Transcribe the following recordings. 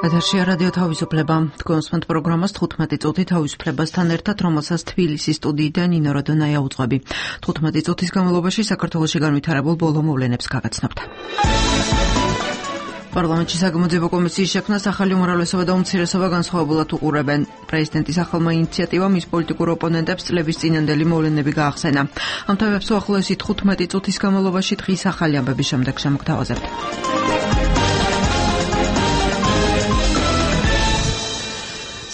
ეთერშია რადიო თავისუფლება. თქვენ პროგრამას 15 წუთი თავისუფლებასთან ერთად, რომელსაც თბილისის სტუდიიდან ნინო როდონაია უძღვები. 15 წუთის განმავლობაში საქართველოში განვითარებულ ბოლო მოვლენებს გაგაცნობთ. პარლამენტში საგამოძიებო კომისიის შექმნას ახალი უმრავლესობა და უმცირესობა განსხვავებულად უყურებენ. პრეზიდენტის ახალმა ინიციატივამ მის პოლიტიკურ ოპონენტებს წლების წინანდელი მოვლენები გაახსენა. ამ თემებს უახლოესი 15 წუთის განმავლობაში დღის ახალი ამბების შემდეგ შემოგთავაზებთ.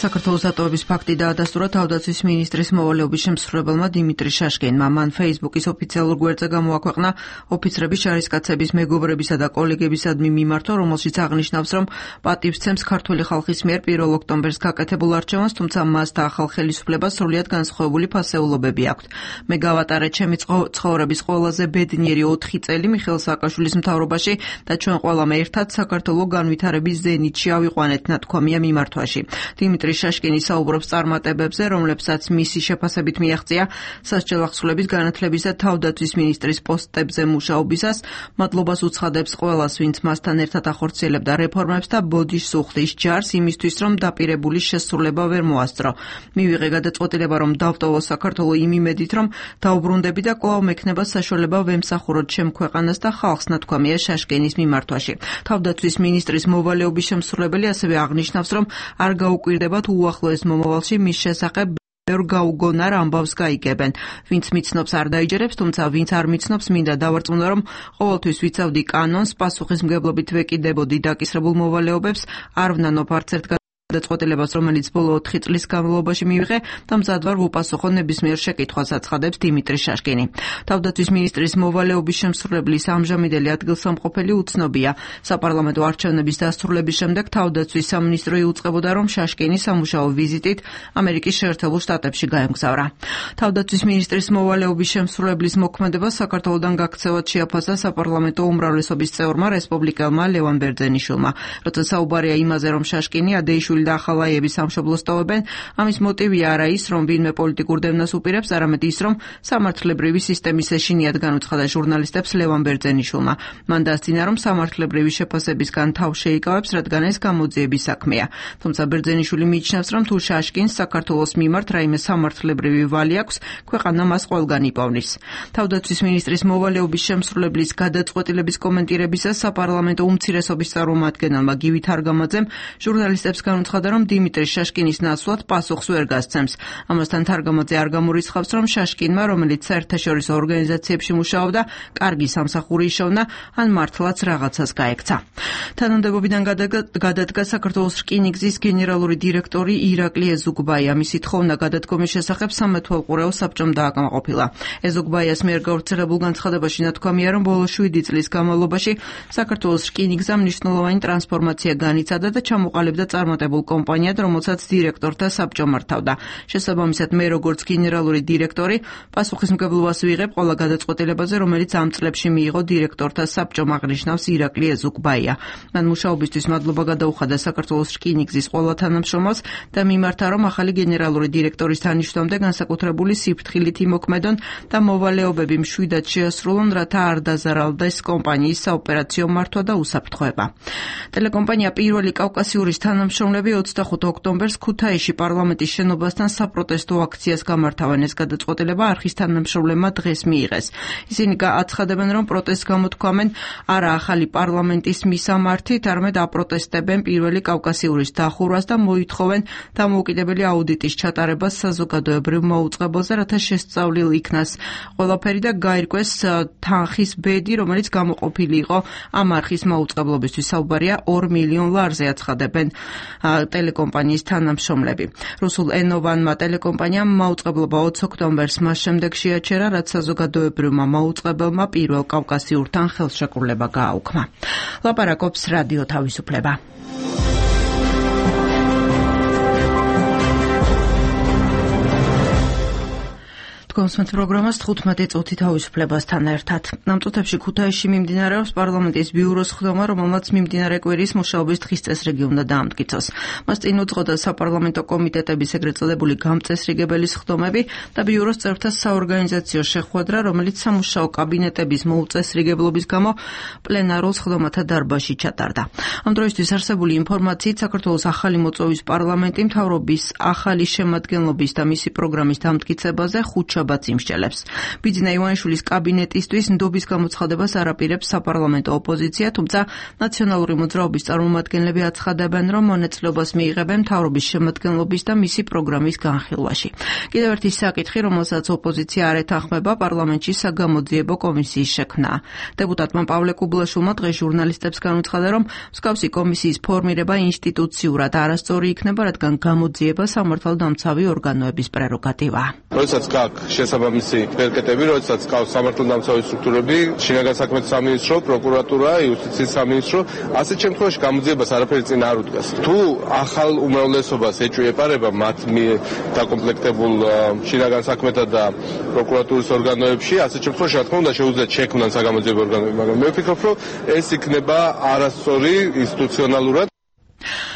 საქართველოს დატოვების ფაქტი დაადასტურა თავდაცვის მინისტრის მოვალეობის შემსრულებელმა დიმიტრი შაშკინმა. მან Facebook-ის ოფიციალურ გვერდზე გამოაქვეყნა ოფიცრების, ჯარისკაცების, მეგობრებისა და კოლეგებისადმი მიმართვა, რომელშიც აღნიშნავს, რომ პატივსცემს ქართული ხალხის მიერ 1 ოქტომბერს გაკეთებულ არჩევანს, თუმცა მას და ახალ ხელისუფლებას სრულიად განსხვავებული ფასეულობები აქვთ. მე გავატარე ჩემი ცხოვრების ყველაზე ბედნიერი 4 წელი მიხეილ სააკაშვილის მთავრობაში და ჩვენ ყველამ ერთად საქართველოს განვითარების ზენიტში ავიყვანეთ, ნათქვამია მიმართვაში. დიმიტრი შაშკინი საუბრობს წარმატებებზე, რომლებსაც მისი შეფასებით მიაღწია სასჯელ ახსულების, განათლების და თავდაცვის მინისტრის პოსტებზე მუშაობისას. მადლობას უცხადებს ყველას, ვინც მასთან ერთად ახორციელებდა რეფორმებს და ბოდიშს უხდის ჯარს იმისთვის, რომ დაპირებული შესრულება ვერ მოასწრო. მივიღე გადაწყვეტილება, რომ დავტოვო საქართველო იმ იმედით, რომ დაუბრუნდები და კვლავ მექნება საშუალება ვემსახუროთ ჩემ ქვეყანას და ხალხს, ნათქვამია შაშკინის მიმართვაში. თავდაცვის მინისტრის მოვალეობის შემსრულებელი ასევე აღნიშნავს, რომ არ გაუკვირდება უახლოეს მომავალში მის შესახებ ბევრ გაუგონარ ამბავს გაიგებენ. ვინც მიცნობს არ დაიჯერებს, თუმცა ვინც არ მიცნობს მინდა დავარწმუნო, რომ ყოველთვის ვიცავდი კანონს, პასუხისმგებლობით ვეკიდებოდი დაკისრებულ მოვალეობებს, არ ვნანობ არც ერთ გადაწყვეტილებას, რომელიც ბოლო 4 წლის განმავლობაში მივიღე და მზად ვარ ვუპასუხო ნებისმიერ შეკითხვას, აცხადებს დიმიტრი შაშკინი. თავდაცვის მინისტრის მოვალეობის შემსრულებლის ამჟამინდელი ადგილსამყოფელი უცნობია. საპარლამენტო არჩევნების დასრულების შემდეგ თავდაცვის სამინისტრო იუწყებოდა, რომ შაშკინი სამუშაო ვიზიტით ამერიკის შეერთებულ შტატებში გაემგზავრა. თავდაცვის მინისტრის მოვალეობის შემსრულებლის მოქმედებას საქართველოდან გაქცევად შეაფასა საპარლამენტო უმრავლესობის წევრმა რესპუბლიკელმა ლევან ბერძენიშვილმა. როცა საუბარია იმაზე, რომ შაშკინი ადეიშვილი და ახალაიები სამშობლოს ტოვებენ, ამის მოტივი არა ის, რომ ვინმე პოლიტიკურ დევნას უპირებს, არამედ ის, რომ სამართლებრივი სისტემის ეშინიათ განუცხადა ჟურნალისტებს ლევან ბერძენიშვილმა. მან დასძინა, რომ სამართლებრივი შეფასებისგან თავ შეიკავებს, რადგან ეს გამოძიების საქმეა. თუმცა ბერძენიშვილი მიიჩნევს, რომ თუ შაშკინს საქართველოს მიმართ რაიმე სამართლებრივი ვალი აქვს, ქვეყანა მას ყველგან იპოვნის. თავდაცვის მინისტრის მოვალეობის შემსრულებლის გადაწყვეტილების კომენტირებისას საპარლამენტო უმცირესობის წარმომადგენელმა გივი თარგამაძემ ჟურნალისტებს განუცხადა, რომ დიმიტრი შაშკინის ნაცვლად პასუხს ვერ გასცემს. ამასთან თარგამაძე არ გამორიცხავს, რომ შაშკინმა, რომელიც საერთაშორისო ორგანიზაციებში მუშაობდა, კარგი სამსახური იშოვნა, ან მართლაც რაღაცას გაექცა. თანამდებობიდან გადადგა საქართველოს რკინიგზის გენერალური დირექტორი ირაკლი ეზუგბაია. მისი თხოვნა გადადგომის შესახებ სამეთვალყურეო საბჭომ დააკმაყოფილა. ეზუგბაიას მიერ გავრცელებულ განცხადებაში ნათქვამია, რომ ბოლო 7 წლის განმავლობაში საქართველოს რკინიგზამ მნიშვნელოვანი ტრანსფორმაცია განიცადა და ჩამოყალიბდა წარმატებულ კომპანიად, რომელსაც დირექტორთა საბჭო მართავდა. შესაბამისად, მე როგორც გენერალური დირექტორი პასუხისმგებლობას ვიღებ ყველა გადაწყვეტილებაზე, რომელიც ამ წლებში მიიღო დირექტორთა საბჭომ, აღნიშნავს ირაკლი ეზუგბაია. მან მუშაობისთვის მადლობა გადაუხადა საქართველოს რკინიგზის ყველა თანამშრომელს და მიმართა, რომ ახალი გენერალური დირექტორის თანაშმომდე განსაკუთრებული სიფრთხილით იმოქმედონ და მოვალეობები მშვიდად შეასრულონ, რათა არ დაზარალდეს კომპანიის საოპერაციო მართვა და უსაფრთხოება. ტელეკომპანია პირველი კავკასიურის თანამშრომლები 25 ოქტომბერს ქუთაისში პარლამენტის შენობასთან საპროტესტო აქციას გამართავენ. ეს გადაწყვეტილება არხის თანამშრომლებმა დღეს მიიღეს. ისინი აცხადებენ, რომ პროტესტს გამოთქვამენ არა ახალი პარლამენტის მისამართით, არამედ აპროტესტებენ პირველი კავკასიურის დახურვას და მოითხოვენ დამოუკიდებელი აუდიტის ჩატარებას საზოგადოებრივ მოუწყებელზე, რათა შესწავლილ იქნას ყველაფერი და გაირკვეს თანხის ბედი, რომელიც გამოყოფილი იყო ამ არხის მოუწყებლობისთვის. საუბარია 2 მილიონ ლარზე, აცხადებენ ტელეკომპანიის თანამშრომლები. რუსულ ენოვანმა ტელეკომპანიამ მაუწყებლობა 20 ოქტომბერს მას შემდეგ შეაჩერა, რაც საზოგადოებრივმა მაუწყებელმა პირველ კავკასიურთან ხელშეკრულება გააუქმა. ლაპარაკობს რადიო თავისუფლება. კონსმეთ პროგრამას 15 წუთი თავისუფლებასთან ერთად. ამ წუთებში ქუთაისში მიმდინარეობს პარლამენტის ბიუროს ხდომა, რომელმაც მიმდინარე კვირის მუშაობის დღის წესრიგი უნდა დაამტკიცოს. მას წინ უძღოდა საპარლამენტო კომიტეტების ეგრეთ წოდებული გამწესრიგებელის ხდომები და ბიუროს წევრთა საორგანიზაციო შეხვედრა, რომელიც სამუშაო კაბინეტების მოუწესრიგებლობის გამო პლენარულ ხდომათა დარბაზში ჩატარდა. ამ დროისთვის არსებული ინფორმაციით საქართველოს ახალი მოწვევის პარლამენტი მთავრობის ახალი შემადგენლობის და მისი პროგრამის დამტკიცებაზე ხუთშაბათს იმსჯელებს. ბიძინა ივანიშვილის კაბინეტისთვის ნდობის გამოცხადებას არ აპირებს საპარლამენტო ოპოზიცია, თუმცა ნაციონალური მოძრაობის წარმომადგენლები აცხადებენ, რომ მონაწილეობას მიიღებენ მთავრობის შემადგენლობის და მისი პროგრამის განხილვაში. კიდევ ერთი საკითხი, რომელსაც ოპოზიცია არ ეთანხმება, პარლამენტში საგამოძიებო კომისიის შექმნა. დეპუტატმა პავლე კუბლაშვილმა დღეს ჟურნალისტებს განუცხადა, რომ მსგავსი კომისიის ფორმირება ინსტიტუციურად არასწორი იქნება, რადგან გამოძიება სამართალდამცავი ორგანოების პრეროგატივაა. როდესაც გაქვს შესაბამისი ბერკეტები, როდესაც გაქვს სამართალდამცავი სტრუქტურები, შინაგან საქმეთა სამინისტრო, პროკურატურა, იუსტიციის სამინისტრო, ასეთ შემთხვევაში გამოძიებას არაფერი წინ არ უდგას. თუ ახალ უმრავლესობას ეჭვიეპარება მათ დაკომპლექტებულ შინაგან საქმეთა და პროკურატურის ორგანოებში, ასეთ შემთხვევაში რა თქმა უნდა შეუძლიათ შექმნან საგამოძიებო ორგანოები, მაგრამ მე ვფიქრობ, რომ ეს იქნება არასწორი ინსტიტუციონალურად.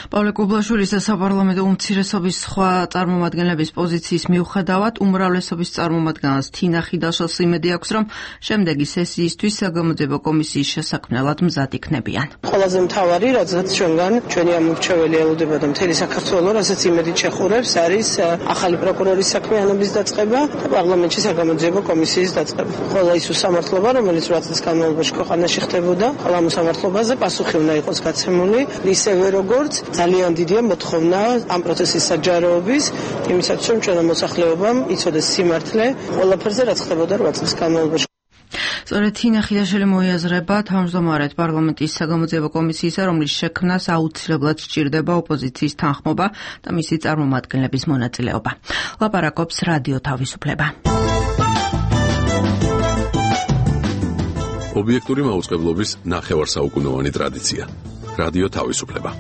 პავლე კუბლაშვილის და საპარლამენტო უმცირესობის სხვა წარმომადგენლების პოზიციის მიუხედავად უმრავლესობის წარმომადგენლს თინა ხიდაშვილს იმედი აქვს, რომ შემდეგი სესიისთვის საგამოძიებო კომისიის შესაქმნელად მზად იქნებიან. ყველაზე მთავარი, რადგან ჩვენგან ჩვენი ამორჩეველი ელოდება და მთელი საქართველო, რასაც იმედით შეხურებს, არის ახალი პროკურორის საქმიანობის დაწყება და პარლამენტში საგამოძიებო კომისიის დაწყება. ყველა ის უსამართლობა, რომელიც 8 წლის განმავლობაში ქვეყანაში ხდებოდა, ყველა ამ უსამართლობაზე პასუხი უნდა იყოს გაცემული, ისევე როგორც ძალიან დიდია მოთხოვნა ამ პროცესის საჯაროების, იმისათვის რომ ჩვენმა მოსახლეობამ იცოდეს სიმართლე ყველაფერზე, რაც ხდებოდა 8 წლის განმავლობაში. სწორედ თინა ხიდაშვილი მოიაზრება თავმჯდომარედ პარლამენტის საგამოძიებო კომისიისა, რომლის შექმნას აუცილებლად სჭირდება ოპოზიციის თანხმობა და მისი წარმომადგენლების მონაწილეობა. ლაპარაკობს რადიო თავისუფლება. ობიექტური მაუწყებლობის ნახევარსაუკუნოვანი ტრადიცია. რადიო თავისუფლება.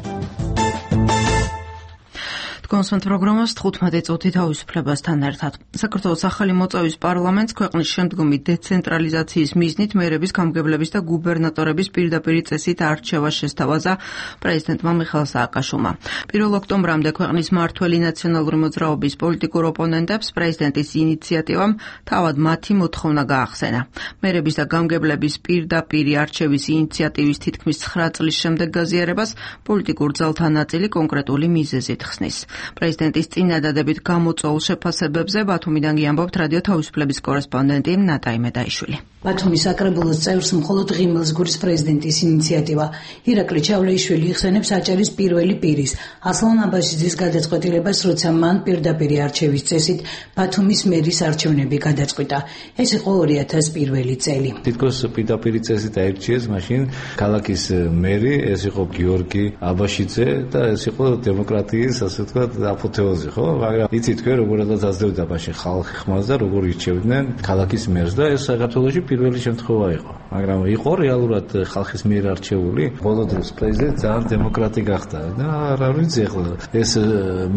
კონსმეთ პროგრამას 15 წუთი თავისუფლებასთან ერთად. საქართველოს ახალი მოწვევის პარლამენტს ქვეყნის შემდგომი დეცენტრალიზაციის მიზნით მერების გამგებლების და გუბერნატორების პირდაპირი წესით არჩევა შესთავაზა პრეზიდენტმა მიხეილ სააკაშვილმა. 1 ოქტომბრამდე ქვეყნის მმართველი ნაციონალური მოძრაობის პოლიტიკურ ოპონენტებს პრეზიდენტის ინიციატივამ თავად მათი მოთხოვნა გაახსენა. მერების და გამგებლების პირდაპირი არჩევის ინიციატივის თითქმის 9 წლის შემდეგ გაზიარებას პოლიტიკურ ძალთა ნაწილი კონკრეტული მიზეზით ხსნის. პრეზიდენტის წინადადებით გამოწვეულ შეფასებებზე ბათუმიდან გიამბობთ რადიო თავისუფლების კორესპონდენტი ნატა იმედაიშვილი. ბათუმის საკრებულოს წევრს მხოლოდ ღიმილს გვრის პრეზიდენტის ინიციატივა. ირაკლი ჩავლეიშვილი იხსენებს აჭარის პირველი პირის, ასლან აბაშიძის გადაწყვეტილებას, როცა მან პირდაპირი არჩევის წესით ბათუმის მერის არჩევნები გადაწყვიტა. ეს იყო 2001 წელი. თითქოს პირდაპირი წესით აირჩიეს მაშინ ქალაქის მერი, ეს იყო გიორგი აბაშიძე და ეს იყო დემოკრატიის, ასე ვთქვათ, აპოთეოზი, ხო? მაგრამ იცით თქვენ როგორადაც აძლევდა მაშინ ხალხი ხმას და როგორ ირჩევდნენ ქალაქის მერს და ეს საქართველოში პირველი შემთხვევა იყო. მაგრამ იყო რეალურად ხალხის მიერ არჩეული. ბოლო დროს პრეზიდენტი ძალიან დემოკრატი გახდა და არ ვიცი ახლა ეს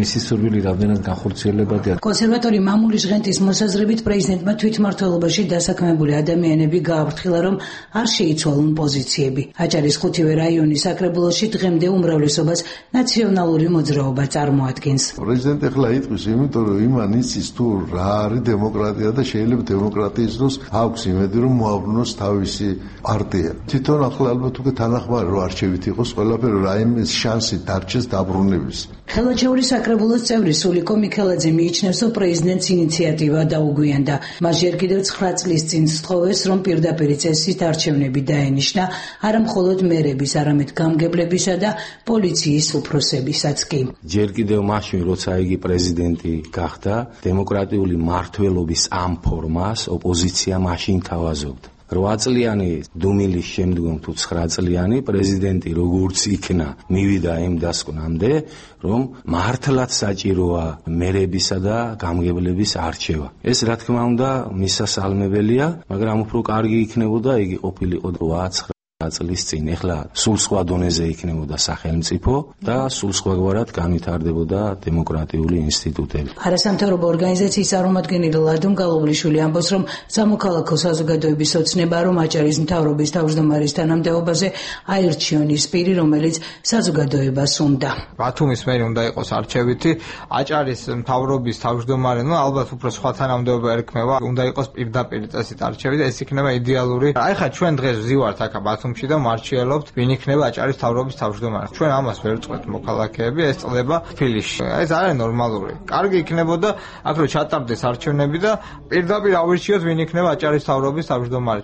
მისი სურვილი რამდენად განხორციელებადია. კონსერვატორი მამული ჟღენტის მოსაზრებით პრეზიდენტმა თვითმმართველობაში დასაქმებული ადამიანები გააფრთხილა, რომ არ შეიცვალონ პოზიციები. აჭარის ხუთივე რაიონის საკრებულოში დღემდე უმრავლესობას ნაციონალური მოძრაობა წარმოადგენს. პრეზიდენტი ახლა იტყვის, იმიტომ რომ იმან იცის თუ რა არის დემოკრატია და შეიძლება დემოკრატიის დროს აქვს იმედი რომ მოაბრუნოს თავისი პარტია. თვითონ ახლა ალბათ უკვე თანახმარი რომ არჩევით იყოს ყველაფერი, რაიმე შანსი დარჩეს დაბრუნების. ხელაჩეულის საკრებულოს წევრი სულიკო მიქელაძე მიიჩნევს, რომ პრეზიდენტის ინიციატივა დაუგვიანდა. მას ჯერ კიდევ 9 წლის წინ სთხოვეს, რომ პირდაპირი წესით არჩევნები დაენიშნა არა მხოლოდ მერების, არამედ გამგებლებისა და პოლიციის უფროსებისაც კი. ჯერ კიდევ მაშინ, როცა იგი პრეზიდენტი გახდა, დემოკრატიული მმართველობის ამ ფორმას ოპოზიცია მაშინ თავაზობდა. 8 წლიანი დუმილის შემდგომ თუ 9 წლიანი პრეზიდენტი როგორც იქნა მივიდა იმ დასკვნამდე, რომ მართლაც საჭიროა მერებისა და გამგებლების არჩევა. ეს რა თქმა უნდა მისასალმებელია, მაგრამ უფრო კარგი იქნებოდა იგი ყოფილიყო 8 წლის წინ. ეხლა სულ სხვა დონეზე იქნებოდა სახელმწიფო და სულ სხვაგვარად განვითარდებოდა დემოკრატიული ინსტიტუტები. არასამთავრობო ორგანიზაციის წარმომადგენელი ლადონ გალობლიშვილი ამბობს, რომ სამოქალაქო საზოგადოების ოცნება, რომ აჭარის მთავრობის თავმჯდომარის თანამდებობაზე აირჩიონ ის პირი, რომელიც საზოგადოებას უნდა. ბათუმის მერი უნდა იყოს არჩევითი, აჭარის მთავრობის თავმჯდომარე, ალბათ უფრო სხვა თანამდებობა ერქმევა, უნდა იყოს პირდაპირ წესით არჩევით, ეს იქნება იდეალური. აი ხა ჩვენ დღეს ვზივართ აქ ბათუმში და მარჩიელობთ, ვინ იქნება აჭარის მთავრობის თავმჯდომარე. ჩვენ ამას ვერ წყვეტ მოქალაქეები, ეს წლება ფილიში. ეს არის ნორმალური. კარგი იქნებოდა აქ რომ ჩატარდეს არჩევნები და პირდაპირ ავირჩიოთ, ვინ იქნება აჭარის მთავრობის თავმჯდომარე.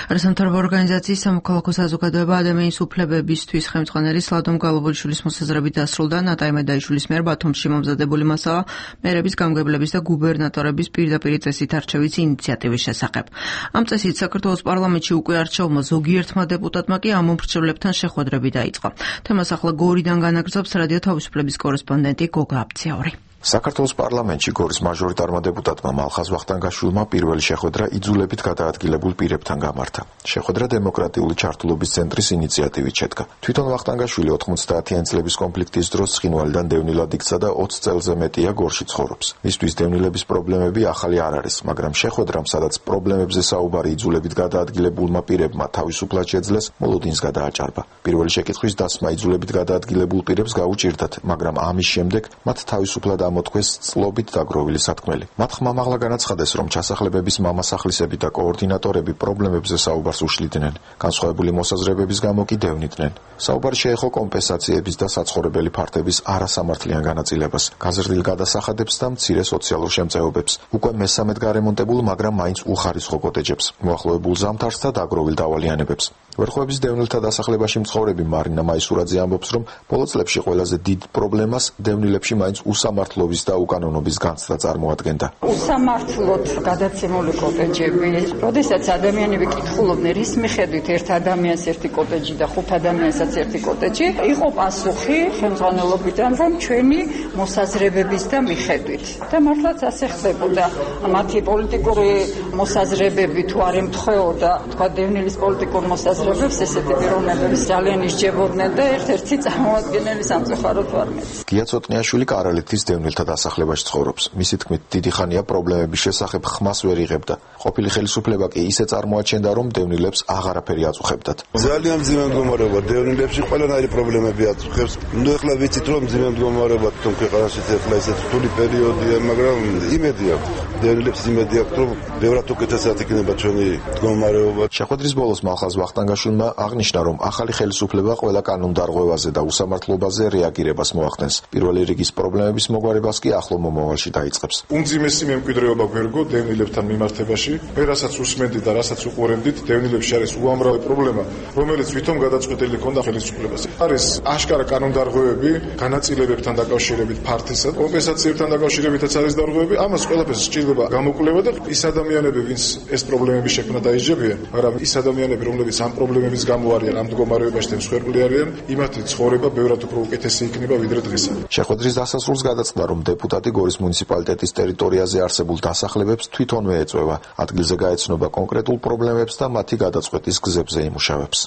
არასამთავრობო ორგანიზაციის სამოქალაქო საზოგადოება ადამიანის უფლებებისთვის ხელმძღვანელის ლადონ გალობლიშვილის მოსაზრებით დასრულდა ნატაი მედაიშვილის მიერ ბათუმში მომზადებული მასალა მერების გამგებლების და გუბერნატორების პირდაპირ წესით არჩევის ინიციატივის შესახებ. ამ წესით საქართველოს პარლამენტში უკვე არჩეულმა ზოგიერთმა დეპუტატმა კი ამ მომხრჩევლებთან შეხვედრები დაიწყო. თემას ახლა გორიდან განაგრძობს რადიო თავისუფლების კორესპონდენტი გოგა აბციაური. საქართველოს პარლამენტში გორის მაჟორიტარმა დეპუტატმა მალხაზ ვახტანგაშვილმა პირველი შეხვედრა იძულებით გადაადგილებულ პირებთან გამართა. შეხვედრა დემოკრატიული ჩართულობის ცენტრის ინიციატივით შედგა. თვითონ ვახტანგაშვილი 90-იანი წლების კონფლიქტის დროს ცხინვალიდან დევნილად იქცა და 20 წელზე მეტია გორში ცხოვრობს. მისთვის დევნილების პრობლემები ახალი არ არის, მაგრამ შეხვედრამ, სადაც პრობლემებზე საუბარი იძულებით გადაადგილებულმა პირებმა თავისუფლად შეძლეს, მოლოდინს გადააჭარბა. პირველი შეკითხვის დასმა იძულებით გადაადგილებულ პირებს გაუჭირდათ, მაგრამ ამის შემდეგ მათ თავისუფლად მოთქვეს წლობით დაგროვილი სათქმელი. მათ ხმამაღლა განაცხადეს, რომ ჩასახლებების მამასახლისები და კოორდინატორები პრობლემებზე საუბარს უშლიდნენ, განსხვავებული მოსაზრებების გამო კი დევნიდნენ. საუბარი შეეხო კომპენსაციების და საცხოვრებელი ფართების არასამართლიან განაწილებას, გაზრდილ გადასახადებს და მცირე სოციალურ შემწეობებს, უკვე მესამედ გარემონტებულ, მაგრამ მაინც უხარისხო კოტეჯებს, მოახლოებულ ზამთარს და დაგროვილ დავალიანებებს. ვერხოვების დევნილთა დასახლებაში მცხოვრები მარინა მაისურაძე ამბობს, რომ ბოლო წლებში ყველაზე დიდ პრობლემას დევნილებში მაინც უსამართლობის და უკანონობის განცდა წარმოადგენდა. უსამართლოდ გადაცემული კოტეჯები, როდესაც ადამიანები კითხულობდნენ, რის მიხედვით ერთ ადამიანს ერთი კოტეჯი და 5 ადამიანსაც ერთი კოტეჯი, იყო პასუხი ხელმძღვანელობიდან, რომ ჩვენი მოსაზრებების და მიხედვით. და მართლაც ასე ხდებოდა. მათი პოლიტიკური მოსაზრებები თუ არ ემთხვეოდა, თქვა დევნილის პოლიტიკურ მოსაზრებებს, ესეთი პიროვნებები ძალიან ისჯებოდნენ და ერთ-ერთი წარმოადგენელი სამწუხაროდ ვარ მეც. გია ცოტნიაშვილი კარალეთის დევნილთა დასახლებაში ცხოვრობს. მისი თქმით, დიდი ხანია პრობლემების შესახებ ხმას ვერ იღებდა. ყოფილი ხელისუფლება კი ისე წარმოაჩენდა, რომ დევნილებს აღარაფერი აწუხებდათ. ძალიან მძიმე მდგომარეობა დევნილებში ყველანაირი პრობლემები აწუხებს. ნუ ეხლა ვიცით, რომ მძიმე მდგომარეობა თვითონ ქვეყანაში ეხლა ისეთ რთული პერიოდია, მაგრამ იმედი აქვს. დევნილებს იმედი აქვს, რომ ბევრად უკეთესად იქნება ჩვენი მდგომარეობა. შეხვედრის ბოლოს მალხაზ ვახტანგაშვილმა აღნიშნა, რომ ახალი ხელისუფლება ყველა კანონდარღვევაზე და უსამართლობაზე რეაგირებას მოახდენს. პირველი რიგის პრობლემების მოგვარებას კი ახლო მომავალში დაიწყებს. უმძიმესი მემკვიდრეობა გვერგო დევნილებთან მიმართებაში, მე რასაც უსმენდით და რასაც უყურებდით, დევნილებში არის უამრავი პრობლემა, რომელიც ვითომ გადაწყვეტილი ქონდა ხელისუფლებას. არის აშკარა კანონდარღვევები, განაწილებებთან დაკავშირებით ფართისა, კომპენსაციებთან დაკავშირებითაც არის დარღვევები, ამას ყველაფერს სჭირდება გამოკვლევა და ის ადამიანები, ვინც ეს პრობლემები შექმნა დაიჯებიან, მაგრამ ის ადამიანები, რომლებიც ამ პრობლემების გამო არიან ამ მდგომარეობაში და მსხვერპლი არიან, იმათი ცხოვრება ბევრად უფრო უკეთესი იქნება ვიდრე დღისა. შეხვედრის დასასრულს გადაწყდა, რომ დეპუტატი გორის მუნიციპალიტეტის ტერიტორიაზე არსებულ დასახლებებს თვითონვე ეწვევა, ადგილზე გაეცნობა კონკრეტულ პრობლემებს და მათი გადაწყვეტის გზებზე იმუშავებს.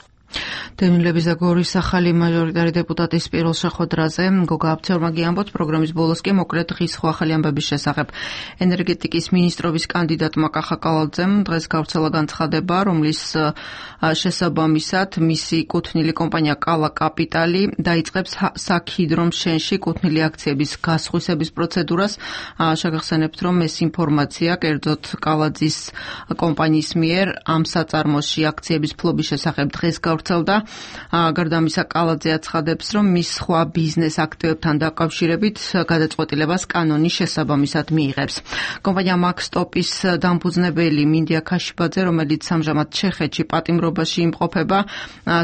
დევნილების და გორის ახალი მაჟორიტარი დეპუტატის პირველ შეხვედრაზე გოგა აბციაურმა ამბობს, პროგრამის ბოლოს კი მოკრეთ დღის ხო ახალი ამბების შესახებ. ენერგეტიკის ministrობის კანდიდატმა კახა კალაძემ დღეს გავრცელა განცხადება, რომლის შესაბამისად მისი კუთვნილი კომპანია კალა კაპიტალი დაიწყებს საქჰიდრომშენში კუთვნილი აქციების გასხვისების პროცედურას. შეგახსენებთ, რომ ეს ინფორმაცია კერძოდ კალაძის კომპანიის მიერ ამ საწარმოში აქციების ფლობის შესახებ დღეს გავრცელდა. გარდა ამისა, კალაძე აცხადებს, რომ მის სხვა ბიზნეს აქტივებთან დაკავშირებით გადაწყვეტილებას კანონის შესაბამისად მიიღებს. კომპანია მაქსტოპის დამფუძნებელი მინდია ქაშიბაძე, რომელიც ამჟამად ჩეხეთში პატიმრობაში იმყოფება,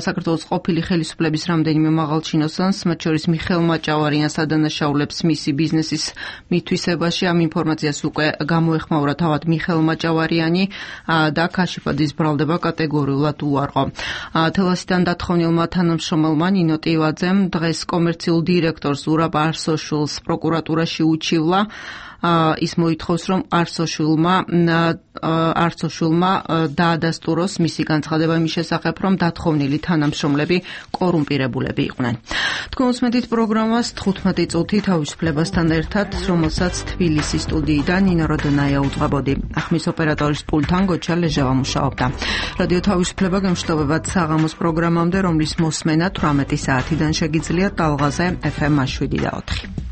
საქართველოს ყოფილი ხელისუფლების რამდენიმე მაღალ ჩინოსანს, მათ შორის მიხეილ მაჭავარიანს ადანაშაულებს მისი ბიზნესის მითვისებაში. ამ ინფორმაციას უკვე გამოეხმაურა თავად მიხეილ მაჭავარიანი და ქაშიბაძის ბრალდება კატეგორიულად უარყო. თელასიდან დათხოვნილმა თანამშრომელმა ნინო ტივაძემ დღეს კომერციულ დირექტორს ზურაბ არსოშვილს პროკურატურაში უჩივლა. ის მოითხოვს, რომ არცოშვილმა დაადასტუროს მისი განცხადება იმის შესახებ, რომ დათხოვნილი თანამშრომლები კორუმპირებულები იყვნენ. თქვენ უსმენთ პროგრამას 15 წუთი თავისუფლებასთან ერთად, რომელსაც თბილისის სტუდიიდან ნინო როდონაია უძღვებოდი. ახმის ოპერატორის პულტთან გოჩა ლეჟავა მუშაობდა. რადიო თავისუფლება გემშვიდობებათ საღამოს პროგრამამდე, რომლის მოსმენა 18 საათიდან შეგიძლიათ ტალღაზე FM 7 და 4.